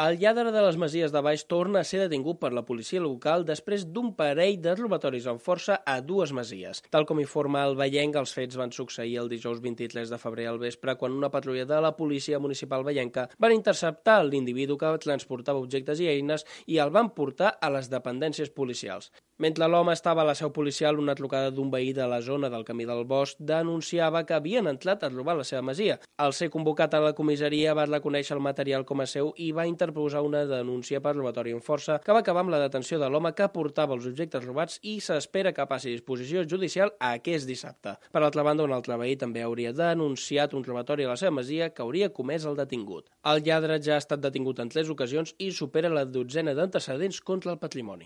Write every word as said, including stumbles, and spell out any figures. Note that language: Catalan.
El lladre de les Masies de Baix torna a ser detingut per la policia local després d'un parell de robatoris amb força a dues masies. Tal com informa el Vallenc, els fets van succeir el dijous vint-i-tres de febrer al vespre quan una patrulla de la policia municipal vallenca van interceptar l'individu que transportava objectes i eines i el van portar a les dependències policials. Mentre l'home estava a la seu policial, una trucada d'un veí de la zona del Camí del Bosc denunciava que havien entrat a robar la seva masia. Al ser convocat a la comissaria va reconèixer el material com a seu i va interposar una denúncia per robatori amb força que va acabar amb la detenció de l'home que portava els objectes robats i s'espera que passi a disposició judicial aquest dissabte. Per altra banda, un altre veí també hauria denunciat un robatori a la seva masia que hauria comès el detingut. El lladre ja ha estat detingut en tres ocasions i supera la dotzena d'antecedents contra el patrimoni.